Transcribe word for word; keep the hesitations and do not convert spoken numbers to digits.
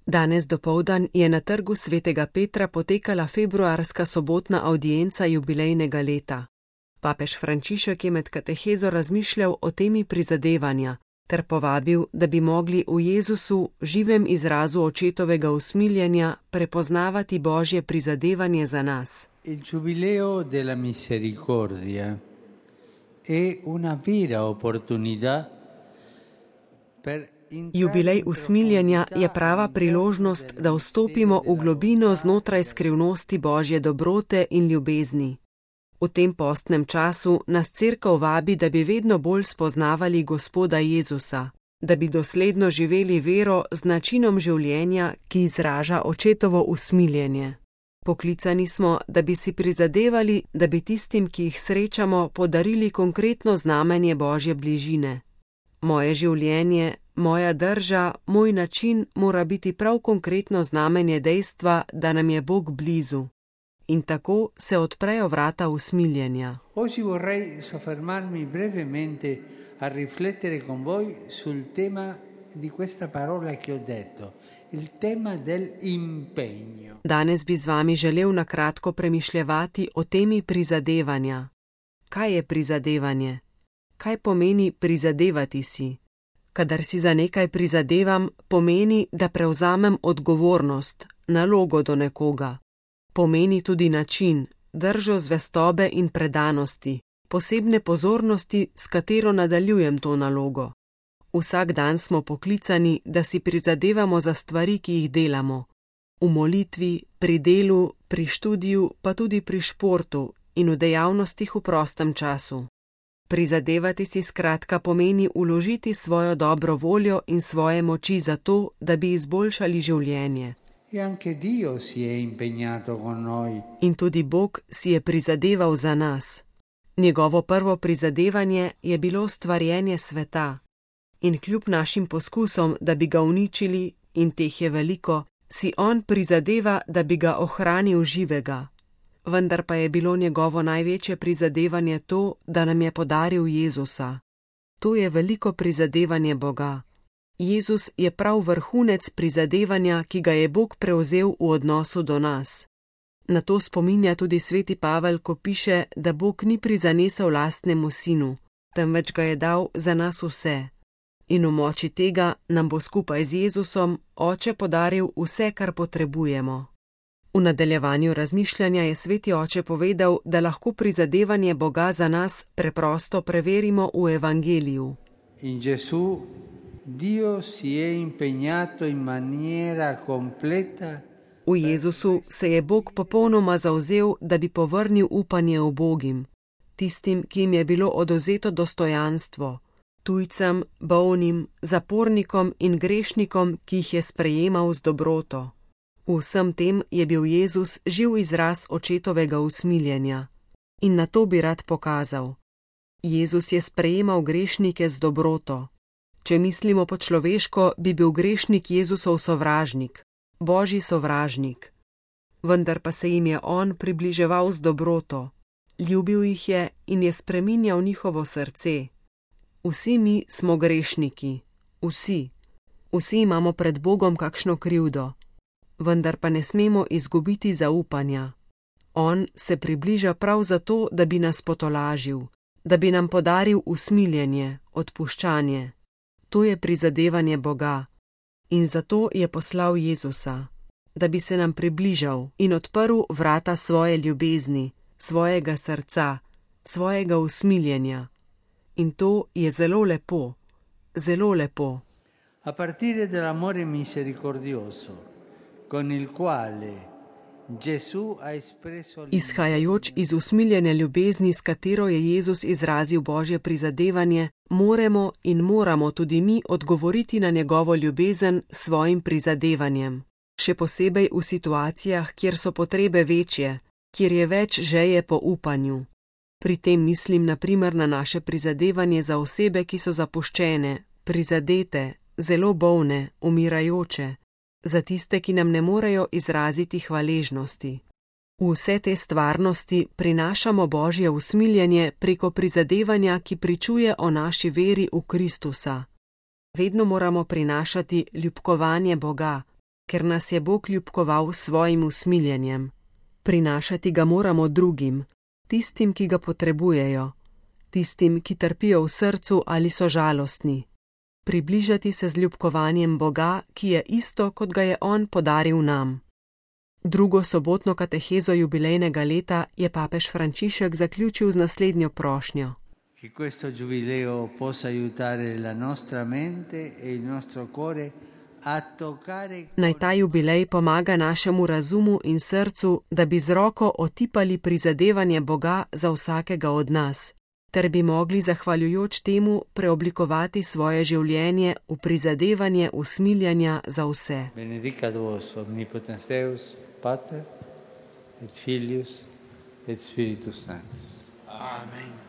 Danes dopoldan je na trgu svetega Petra potekala februarska sobotna avdienca jubilejnega leta. Papež Frančišek je med katehezo razmišljal o temi prizadevanja ter povabil, da bi mogli v Jezusu, živem izrazu očetovega usmiljenja, prepoznavati Božje prizadevanje za nas. Il Giubileo della Misericordia è una vera opportunità per Jubilej usmiljenja je prava priložnost, da vstopimo v globino znotraj skrivnosti Božje dobrote in ljubezni. V tem postnem času nas Cerkev vabi, da bi vedno bolj spoznavali Gospoda Jezusa, da bi dosledno živeli vero z načinom življenja, ki izraža očetovo usmiljenje. Poklicani smo, da bi si prizadevali, da bi tistim, ki jih srečamo, podarili konkretno znamenje Božje bližine. Moje življenje, moja drža, moj način mora biti prav konkretno znamenje dejstva, da nam je Bog blizu. In tako se odprejo vrata usmiljenja. Oggi vorrei soffermarmi brevemente a riflettere con voi sul tema di questa parola che ho detto, il tema dell'impegno. Danes bi z vami želel na kratko premišljevati o temi prizadevanja. Kaj je prizadevanje? Kaj pomeni prizadevati si? Kadar si za nekaj prizadevam, pomeni, da prevzamem odgovornost, nalogo do nekoga. Pomeni tudi način, držo zvestobe in predanosti, posebne pozornosti, s katero nadaljujem to nalogo. Vsak dan smo poklicani, da si prizadevamo za stvari, ki jih delamo. V molitvi, pri delu, pri študiju, pa tudi pri športu in v dejavnostih v prostem času. Prizadevati si skratka pomeni vložiti svojo dobro voljo in svoje moči za to, da bi izboljšali življenje. E anche Dio si è impegnato con noi. In tudi Bog si je prizadeval za nas. Njegovo prvo prizadevanje je bilo stvarjenje sveta. In kljub našim poskusom, da bi ga uničili, in teh je veliko, si on prizadeva, da bi ga ohranil živega. Vendar pa je bilo njegovo največje prizadevanje to, da nam je podaril Jezusa. To je veliko prizadevanje Boga. Jezus je prav vrhunec prizadevanja, ki ga je Bog prevzel v odnosu do nas. Na to spominja tudi sveti Pavel, ko piše, da Bog ni prizanesel lastnemu sinu, temveč ga je dal za nas vse. In v moči tega nam bo skupaj z Jezusom Oče podaril vse, kar potrebujemo. V nadaljevanju razmišljanja je sveti oče povedal, da lahko prizadevanje Boga za nas preprosto preverimo v Evangeliju. In Gesù, Dio si è impegnato in maniera completa. V Jezusu se je Bog popolnoma zavzel, da bi povrnil upanje ubogim, tistim, ki jim je bilo odvzeto dostojanstvo, tujcem, bolnim, zapornikom in grešnikom, ki jih je sprejemal z dobroto. V vsem tem je bil Jezus živ izraz očetovega usmiljenja. In na to bi rad pokazal. Jezus je sprejemal grešnike z dobroto. Če mislimo po človeško, bi bil grešnik Jezusov sovražnik, Božji sovražnik. Vendar pa se jim je on približeval z dobroto. Ljubil jih je in je spreminjal njihovo srce. Vsi mi smo grešniki. Vsi. Vsi imamo pred Bogom kakšno krivdo. Vendar pa ne smemo izgubiti zaupanja. On se približa prav zato, da bi nas potolažil, da bi nam podaril usmiljenje, odpuščanje. To je prizadevanje Boga. In zato je poslal Jezusa, da bi se nam približal in odprl vrata svoje ljubezni, svojega srca, svojega usmiljenja. In to je zelo lepo, zelo lepo. A partire dall'amore misericordioso, con il quale Gesù ha espresso... Izhajajoč iz usmiljene ljubezni, s katero je Jezus izrazil Božje prizadevanje, moremo in moramo tudi mi odgovoriti na njegovo ljubezen s svojim prizadevanjem. Še posebej v situacijah, kjer so potrebe večje, kjer je več želje po upanju. Pri tem mislim na primer na naše prizadevanje za osebe, ki so zapuščene, prizadete, zelo bolne, umirajoče, za tiste, ki nam ne morejo izraziti hvaležnosti. V vse te stvarnosti prinašamo Božje usmiljenje preko prizadevanja, ki pričuje o naši veri v Kristusa. Vedno moramo prinašati ljubkovanje Boga, ker nas je Bog ljubkoval s svojim usmiljenjem. Prinašati ga moramo drugim, tistim, ki ga potrebujejo, tistim, ki trpijo v srcu ali so žalostni. Približati se z ljubkovanjem Boga, ki je isto, kot ga je On podaril nam. Drugo sobotno katehezo jubilejnega leta je papež Frančišek zaključil z naslednjo prošnjo. Che questo giubileo possa aiutare la nostra mente e il nostro cuore a toccare. Naj ta jubilej pomaga našemu razumu in srcu, da bi z roko otipali prizadevanje Boga za vsakega od nas, ter bi mogli zahvaljujoč temu preoblikovati svoje življenje v prizadevanje usmiljanja za vse. Benedicat vos omnipotens Deus, Pater et Filius et Spiritus Sanctus. Amen.